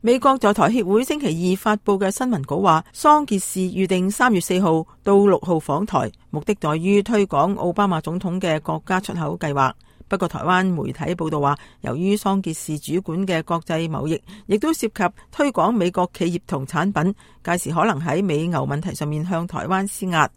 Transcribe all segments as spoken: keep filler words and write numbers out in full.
美國在台協會星期二發佈嘅新聞稿話，桑傑士預定三月四號到六號訪台，目的在於推廣奧巴馬總統嘅國家出口計劃。不過台灣媒體報道話，由於桑傑士主管嘅國際貿易亦都涉及推廣美國企業同產品，屆時可能喺美牛問題上面向台灣施壓。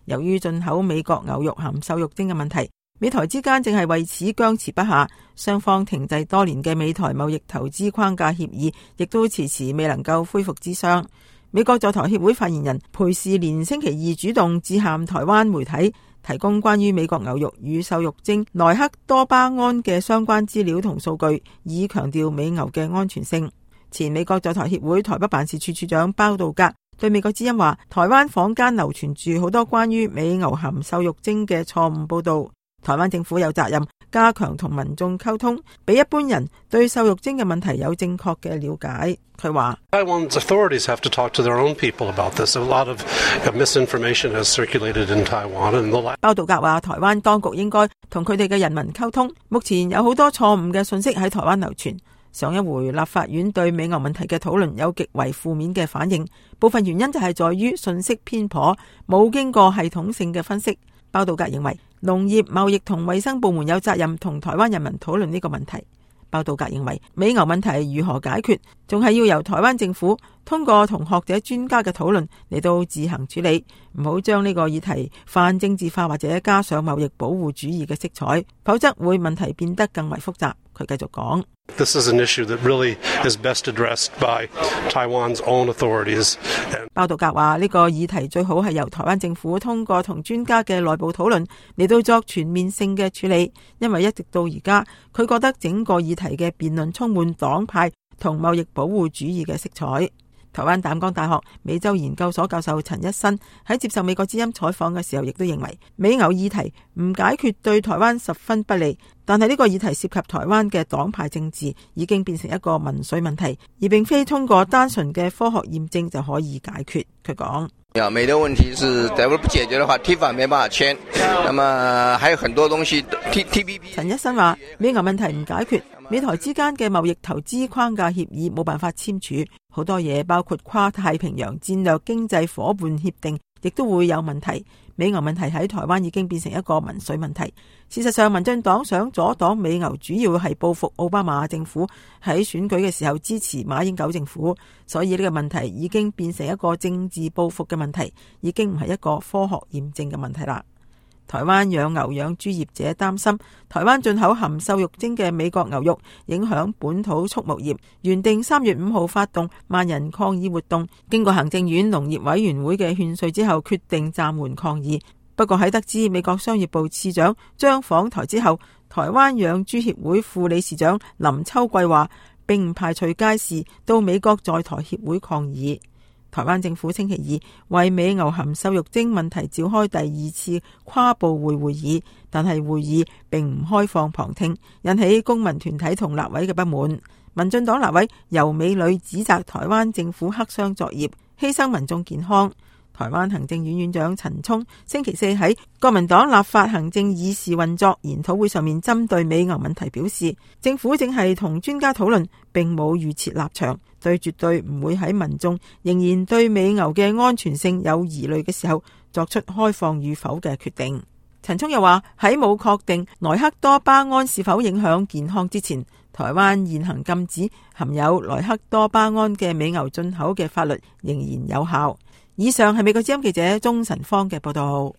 由於進口美國牛肉含瘦肉精嘅問題，美台之間正係為此僵持不下，雙方停滯多年嘅美台貿易投資框架協議亦都遲遲未能夠恢復諮商。美國在台協會發言人裴士連星期二主動致函台灣媒體，提供關於美國牛肉與瘦肉精萊克多巴胺嘅相關資料同數據，以強調美牛嘅安全性。前美國在台協會台北辦事處處長包道格對美國之音話，台灣坊間流傳住好多關於美牛含瘦肉精嘅錯誤報道，台灣政府有責任加強同民眾溝通，俾一般人對瘦肉精嘅問題有正確嘅了解。佢話Taiwan's authorities have to talk to their own people about this. A lot of misinformation has circulated in Taiwan. And the... 包道格話，台灣當局應該同佢哋嘅人民溝通。目前有好多錯誤嘅信息喺台灣流傳。上一回立法院對美牛問題嘅討論有極為負面嘅反應，部分原因就係在於信息偏頗，冇經過系統性嘅分析。包道格認為農業、貿易同衛生部門有責任同台灣人民討論呢個問題。包道格認為美牛問題如何解決，仲係要由台灣政府通過同學者專家嘅討論嚟到自行處理，唔好將呢個議題泛政治化或者加上貿易保護主義嘅色彩，否則會問題變得更為複雜。佢繼續講This is an issue that really is best addressed by Taiwan's own authorities. 包道格話呢個議題最好係由台灣政府通過同專家嘅內部討論嚟到作全面性嘅處理，因為一直到而家佢覺得整個議題嘅辯論充滿黨派同貿易保護主義嘅色彩。台灣淡江大學美洲研究所教授陳一新喺接受美國之音採訪嘅時候，亦都認為美牛議題唔解決對台灣十分不利，但係呢個議題涉及台灣嘅黨派政治，已經變成一個民粹問題，而並非通過單純嘅科學驗證就可以解決。佢講：美的問題是，假如不解決的話 ，T 法沒辦法簽，那麼還有很多東西 T T P P。陳一新話：美牛問題唔解決，美台之間嘅貿易投資框架協議冇辦法簽署，好多嘢包括跨太平洋戰略經濟夥伴協定，亦都會有問題。美牛問題喺台灣已經變成一個民粹問題。事實上，民進黨想阻擋美牛，主要係報復奧巴馬政府喺選舉嘅時候支持馬英九政府，所以呢個問題已經變成一個政治報復嘅問題，已經唔係一個科學驗證嘅問題啦。台灣養牛養豬業者擔心台灣進口含瘦肉精嘅美國牛肉影響本土畜牧業，原定三月五號發動萬人抗議活動，經過行政院農業委員會嘅勸說之後，決定暫緩抗議。不過喺得知美國商業部次長將訪台之後，台灣養豬協會副理事長林秋桂話，並唔排除屆時到美國在台協會抗議。台灣政府星期二為美牛含瘦肉精問題召開第二次跨部會會議，但係會議並唔開放旁聽，引起公民團體同立委嘅不滿。民進黨立委游美女指責台灣政府黑箱作業，犧牲民眾健康。台灣行政院院長陳聰星期四喺國民黨立法行政議事運作研討會上面，針對美牛問題表示，政府正係同專家討論，並冇預設立場，對絕對唔會喺民眾仍然對美牛嘅安全性有疑慮嘅時候作出開放與否嘅決定。陳聰又話，喺冇確定萊克多巴胺是否影響健康之前，台灣現行禁止含有萊克多巴胺嘅美牛進口嘅法律仍然有效。以上係美國之音記者鍾晨芳嘅報道。